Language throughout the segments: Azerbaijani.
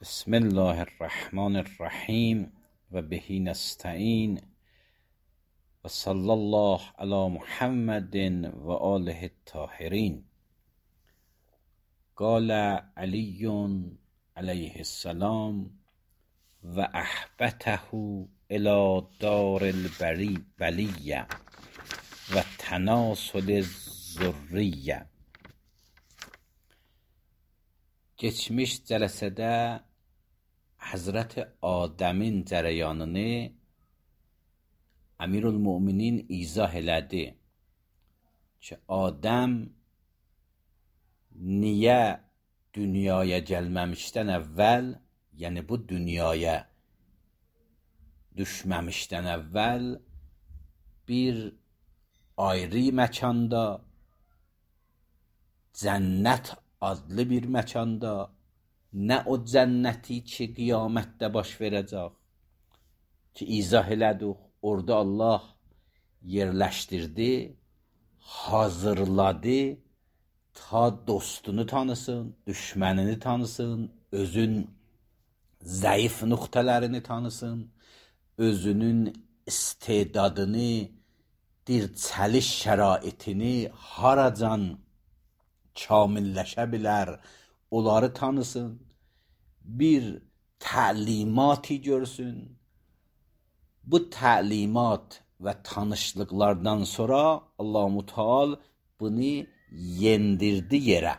بسم الله الرحمن الرحیم و بهی نستعین و صلی الله علی محمد و آله الطاهرین. قال علی علیه السلام و احبته الی دار البلیه و تناسل الذریه. Keçmiş cəlsədə Həzrəti Adəmin cərəyanını Əmirülmüminin izah elədi ki, Adəm niyə dünyaya gəlməmişdən əvvəl, yəni bu dünyaya düşməmişdən əvvəl bir ayrı məkanda, cənnət adlı bir məkanda, nə o cənnəti ki, qiyamətdə baş verəcək ki, izah elədik, orada Allah yerləşdirdi, hazırladı ta dostunu tanısın, düşmənini tanısın, özün zəif nöqtələrini tanısın, özünün istedadını, dirçəliş şəraitini haracan kamilləşə bilər, onları tanısın, bir təlimati görsün. Bu təlimat və tanışlıqlardan sonra Allah-u Teala bunu yendirdi yerə.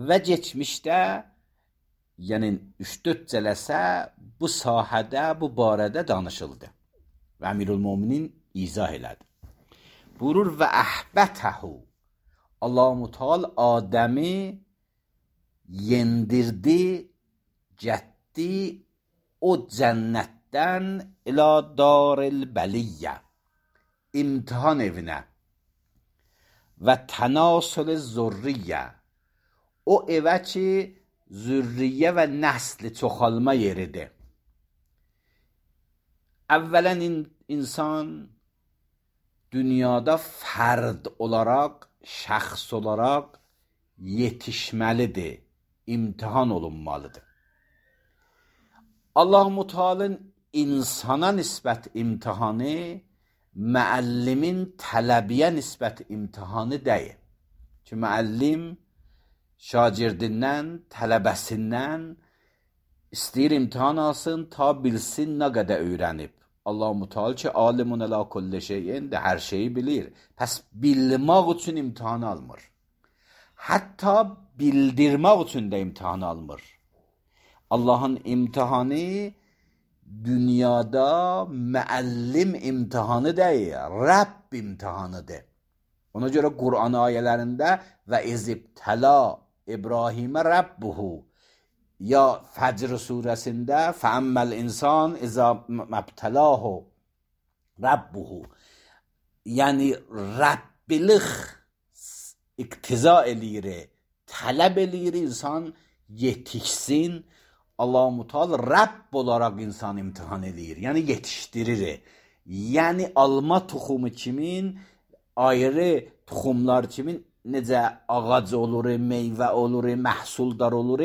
Və geçmişdə, yəni 3-4 cələsə bu sahədə, bu barədə danışıldı. Və Əmirülmüminin izah elədi. Buyurur və əhbətəhu. Allah-u Teala Adəmi yendirdi, getdi o cənnətdən ilə daril bəliyyə, imtihan evinə və tənasül zürriyyə, o evə ki, zürriyyə və nəsli çoxalma yeridir. Əvvələn insan dünyada fərd olaraq, şəxs olaraq yetişməlidir, imtihan olunmalıdır. Allah-u Teala'nın insana nisbət imtihanı müəllimin tələbiyə nisbət imtihanı deyil. Ki, müəllim şagirdindən, tələbəsindən istəyir imtihan alsın, ta bilsin nə qədər öyrənib. Allah-u Teala ki, alimun əla kulli şeyin də hər şeyi bilir. Pəs bilmək üçün imtihan almır. Hətta bildirmək üçün də imtihan almır. Allahın imtihanı dünyada müəllim imtihanı deyil, Rəbb imtihanıdır. Ona görə Qur'an ayələrində və izibtəla İbrahimə Rəbbuhu, ya Fəcr surəsində fəəmməl insan izə məbtəlahu Rəbbuhu, yəni Rəbbilik iqtiza eləyir, tələb eləyir insan yetişsin. Allah-u Teala Rəbb olaraq insan imtihan eləyir, yəni yetişdirir. Yəni alma toxumu kimin, ayrı toxumlar kimin, necə ağac olur, meyvə olur, məhsuldar olur,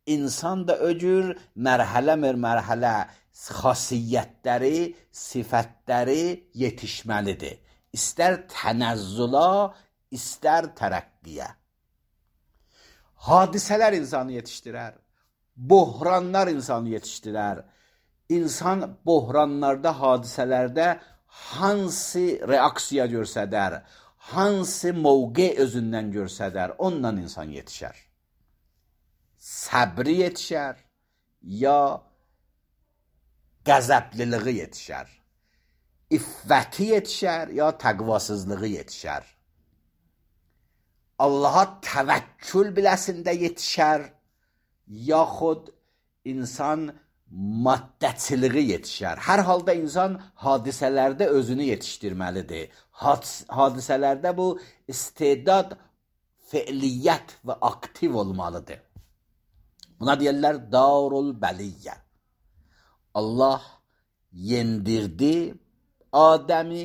insan da öcür mərhələ xasiyyətləri, sifətləri yetişməlidir. İstər tənəzzüla, istər tərəqqiyə. Hadisələr insanı yetişdirər. Bohranlar insanı yetişdirər. İnsan bohranlarda, hadisələrdə hansı reaksiya görsədər, hansı mövqe özündən görsədər, ondan insan yetişər. Səbri yetişər, ya qəzəbliliği yetişər. İffəti yetişər, ya təqvasızlığı yetişər. Allaha təvəkkül biləsində yetişər, yaxud insan maddəçiliği yetişər. Hər halda insan hadisələrdə özünü yetişdirməlidir. Hadisələrdə bu istedad, feiliyyət və aktiv olmalıdır. Buna deyirlər darul bəliyyə. Allah yendirdi Adəmi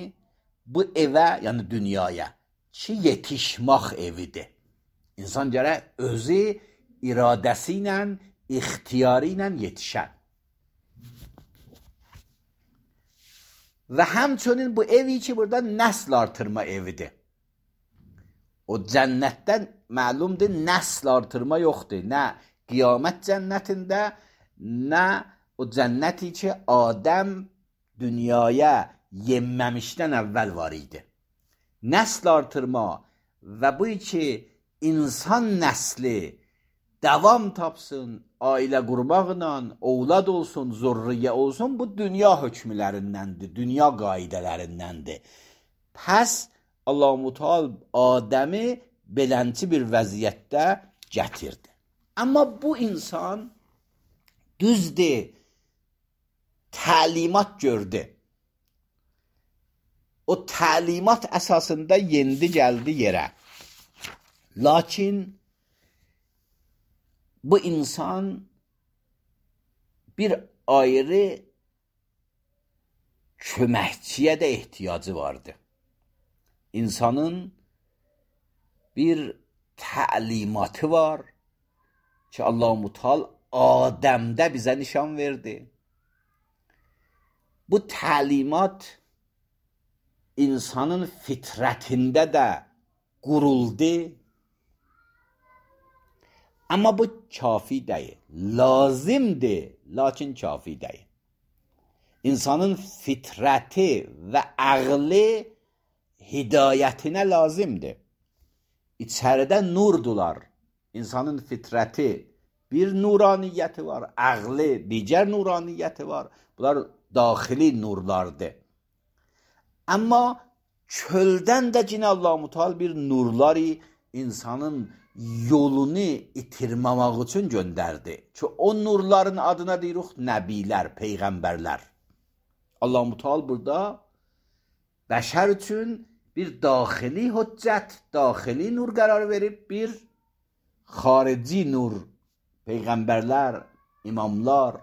bu evə, yəni dünyaya ki, yetişmək evidir. İnsan gərək özü iradəsi ilə, ixtiyarı ilə yetişən. Və həmçinin bu evi ki, burada nəsl artırma evidir. O cənnətdən məlumdur, nəsl artırma yoxdur. Nə qiyamət cənnətində, nə o cənnəti ki, Adəm dünyaya yenməmişdən əvvəl var idi. Nəsl artırma və bu ki, insan nəsli davam tapsın, ailə qurmaqla, ovlad olsun, zurriyə olsun, bu dünya hökmlərindəndir, dünya qaidələrindəndir. Pəs Allah-u Teala Adəmi belənçi bir vəziyyətdə gətirdi. Amma bu insan düzdür, təlimat gördü. O təlimat əsasında yendi gəldi yerə. Lakin bu insan bir ayrı köməkçiyə də ehtiyacı vardı. İnsanın bir təlimatı var ki, Allah-u Teala Adəmdə bizə nişan verdi. Bu təlimat insanın fitrətində də quruldu. Amma bu kafi deyil. Lazımdır, lakin kafi deyil. İnsanın fitrəti və ağlı hidayətinə lazımdır. İçəridə nurdular. İnsanın fitrəti bir nuraniyyəti var, ağlı digər nuraniyyəti var. Bunlar daxili nurlardır. Amma çöldən də yine Allah-u Teala bir nurları insanın yolunu itirməmək üçün göndərdi. Ki o nurların adına deyirik nəbilər, peyğəmbərlər. Allah-u Teala burada bəşər üçün bir daxili hüccət, daxili nur qərar verib, bir xarici nur, peyğəmbərlər, imamlar.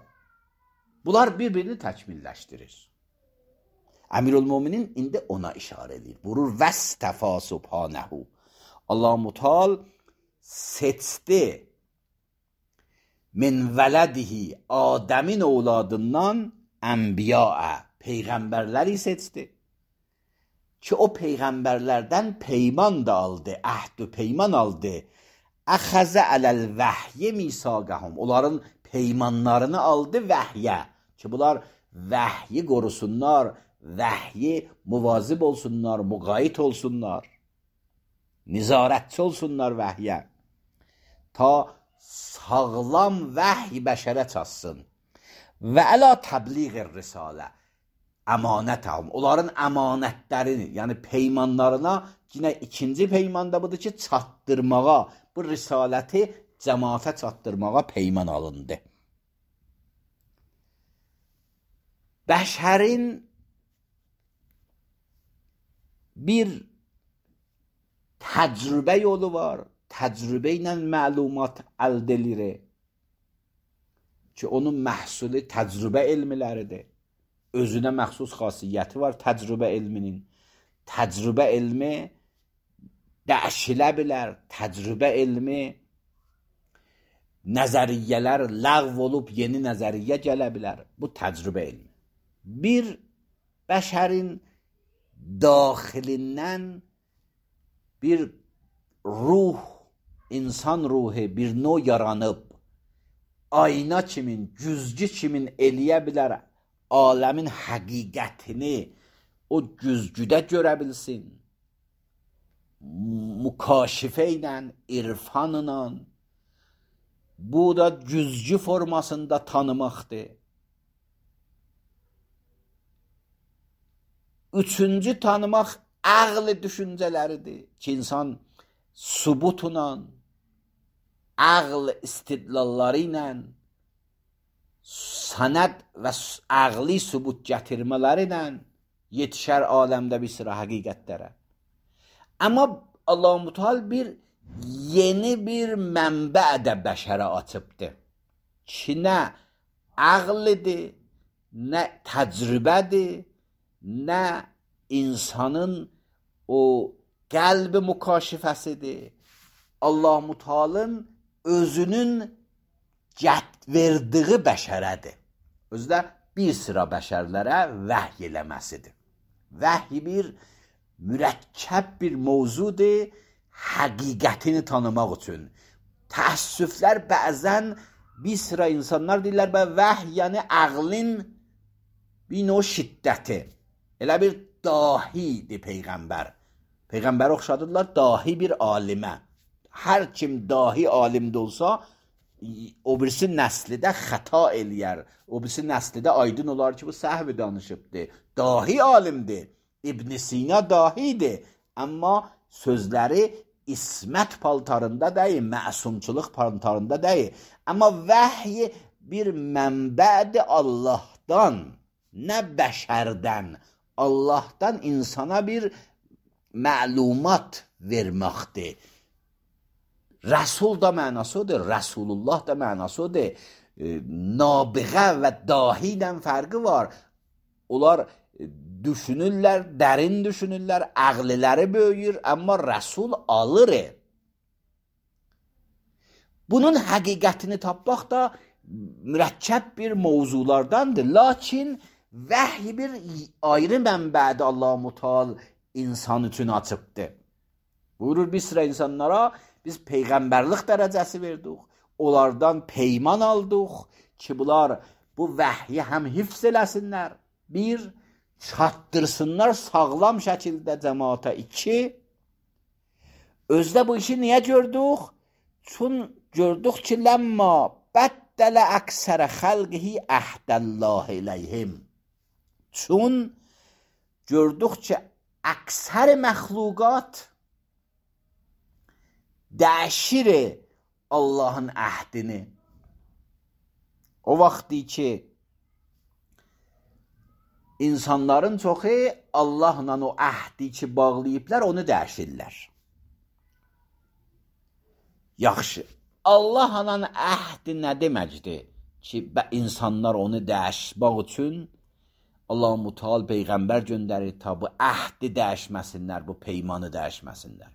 Bunlar bir-birini təkmilləşdirir. Əmirül-Möminin indi ona işarə edir. Vurur vəstəfa subhanəhu. Allah-u Teala seçdi min vələdihi, Adəmin ovladından ənbiyaə, peyğəmbərləri seçdi. Ki o peyğəmbərlərdən peyman da aldı, əhd-ü peyman aldı. Əxəzə ələl vəhyi misaqəhum. Onların peymanlarını aldı vəhyə. Ki bunlar vəhyi qorusunlar, vəhyi muvazib olsunlar, müqayit olsunlar, nizarətçi olsunlar vəhyə. Ta sağlam vəhy bəşərə çatsın. Və əla təbliğ-i risalə, əmanətəhum. Onların əmanətlərini, yəni peymanlarına, yine ikinci peymanda budur ki, çatdırmağa, bu risaləti cəmaata çatdırmağa peyman alındı. Bəşərin bir təcrübə yolu var. Təcrübə ilə məlumat əldə edir. Ki onun məhsulu təcrübə elmləridir. Özünə məxsus xasiyyəti var təcrübə elminin. Təcrübə elmi dəyişilə bilər. Təcrübə elmi nəzəriyyələr ləğv olub yeni nəzəriyyə gələ bilər. Bu təcrübə elmi. Bir bəşərin daxilindən bir ruh, insan ruhu bir növ yaranıb, ayna kimin, güzgü kimin eləyə bilər aləmin həqiqətini o güzgüdə görə bilsin. Mükaşifə ilə, irfanla, bu da güzgü formasında tanımaqdır. Üçüncü tanımaq ağlı düşüncələridir ki, insan subutla, ağl istidlalları ilə, sənəd və ağli subut gətirmələri ilə yetişər aləmdə bir sıra həqiqətlərə. Amma Allah-u Teala bir yeni bir mənbə də bəşərə açıbdır. Ki, nə ağlıdır, nə təcrübədir, nə insanın o qəlbi mükaşifəsidir. Allah-u Teala'nın özünün verdiyi bəşərədir. Özü də bir sıra bəşərlərə vəhy eləməsidir. Vəhy bir mürəkkəb bir mövzudur, həqiqətini tanımaq üçün. Təəssüflər bəzən bir sıra insanlar deyirlər vəhy yəni ağlın bir növ şiddəti. Elə bir dahidir Peyğəmbər. Peyğəmbər oxşadılar dahi bir alimə. Hər kim dahi alimdə olsa, o birisi nəslidə xəta eləyər. O birisi nəslidə aydın olar ki, bu səhv danışıbdır. Dahi alimdir. İbn Sina dahidir. Amma sözləri ismət paltarında deyil, məsumçuluq paltarında deyil. Amma vəhy bir mənbədir Allahdan, nə bəşərdən. Allahdan insana bir məlumat verməkdir. Rəsul da mənasıdır, Rəsulullah da mənasıdır. Nabiğə və dahidən fərqi var. Onlar düşünürlər, dərin düşünürlər, ağlıları böyüyür, amma Rəsul alır. Bunun həqiqətini tapmaq da mürəkkəb bir mövzulardandır. Lakin vəhy bir ayrı mənbədə Allah-u Teala insan üçün açıbdır. Buyurur bir sıra insanlara biz peyğəmbərlik dərəcəsi verdik. Onlardan peyman aldıq ki, bunlar bu vəhyi həm hifz eləsinlər. Bir, çatdırsınlar sağlam şəkildə cəmaata. İki, özdə bu işi niyə gördük? Çün gördük ki, ləmma bəddələ əksərə xəlqihi əhdəllah iləyhim. Çün gördük ki, əksər məxluqat dəyişir Allahın əhdini. O vaxtı ki, insanların çoxu Allahla o əhdi ki bağlayıblar, onu dəyişirlər. Yaxşı, Allahla əhdi nə deməkdir ki, insanlar onu dəyişmək üçün Allah-u Teala Peyğəmbər göndərir ta bu əhdi dəyişməsinlər, bu peymanı dəyişməsinlər.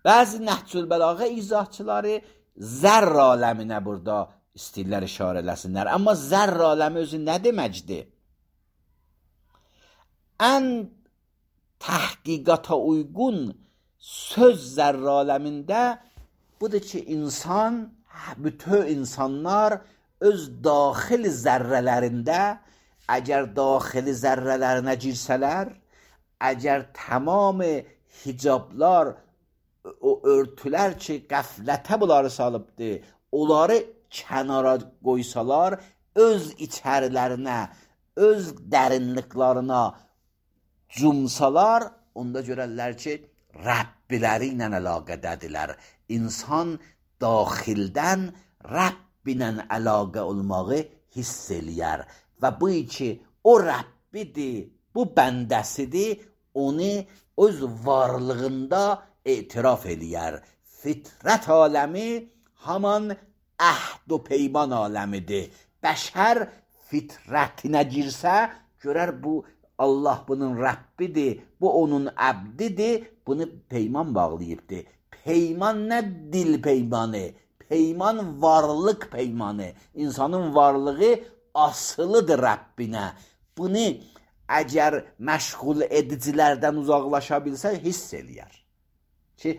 Bəzi Nəhcül Bəlağə izahçıları zərr aləminə burada istəyirlər işarə eləsinlər. Amma zərr aləmi özü nə deməkdir? Ən təhqiqata uyğun söz zərr aləmində budur ki, bütün insanlar öz daxil zərrələrində əgər daxili zərrələrinə girsələr, əgər tamam hicablar, o örtülər ki, qəflətə bunları salıbdır, onları kənara qoysalar, öz içərilərinə, öz dərinliklarına cumsalar, onda görərlər ki, Rəbbiləri ilə əlaqədədirlər. İnsan daxildən Rəbbi ilə əlaqə olmağı hiss eləyər. Və bu ki, o Rəbbidir, bu bəndəsidir, onu öz varlığında etiraf eləyər. Fitrət aləmi haman əhd و peyman aləmidir. Bəşər fitrətinə girsə, görər bu Allah bunun Rəbbidir, bu onun əbdidir, bunu peyman bağlayıbdır. Peyman nə dil peymanı? Peyman varlıq peymanı. İnsanın varlığı asılıdır Rəbbinə. Bunu əgər məşğul edicilərdən uzaqlaşa bilsə, hiss eləyər. Ki,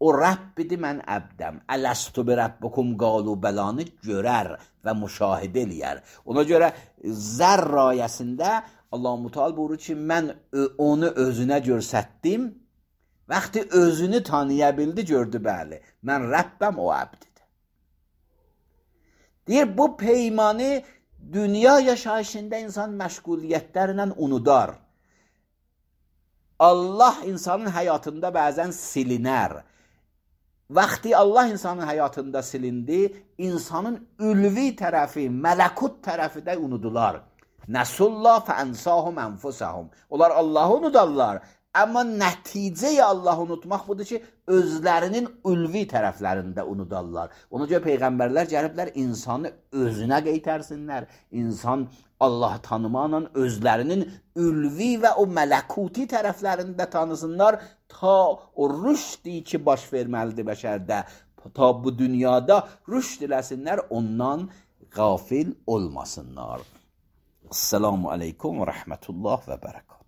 o Rəbbidir, mən əbdəm. Ələstu bi Rəbbikum qalu bəlanı görər və müşahidə eləyər. Ona görə zərr ayəsində Allah-u Teala buyurur ki, mən onu özünə görsətdim. Vaxtı özünü tanıya bildi, gördü, bəli. Mən Rəbbəm, o əbdidir. Deyir, bu peymanı dünya yaşayışında insan məşğuliyyətlərlə unudar. Allah insanın həyatında bəzən silinər. Vaxtı Allah insanın həyatında silindi, insanın ülvi tərəfi, mələkut tərəfi də unudular. Nəsullah fəənsahum ənfusəhum. Onlar Allahı unudarlar. Amma nəticəyə Allahı unutmaq budur ki, özlərinin ülvi tərəflərində unudarlar. Ona görə Peyğəmbərlər gəliblər, insanı özünə qeytərsinlər. İnsan Allah tanımaqla özlərinin ülvi və o mələkuti tərəflərində tanısınlar, ta o rüşdi ki, baş verməlidir bəşərdə, ta bu dünyada rüşd eləsinlər, ondan qafil olmasınlar. Esselamu aleykum və rəhmətullah və bərəkət.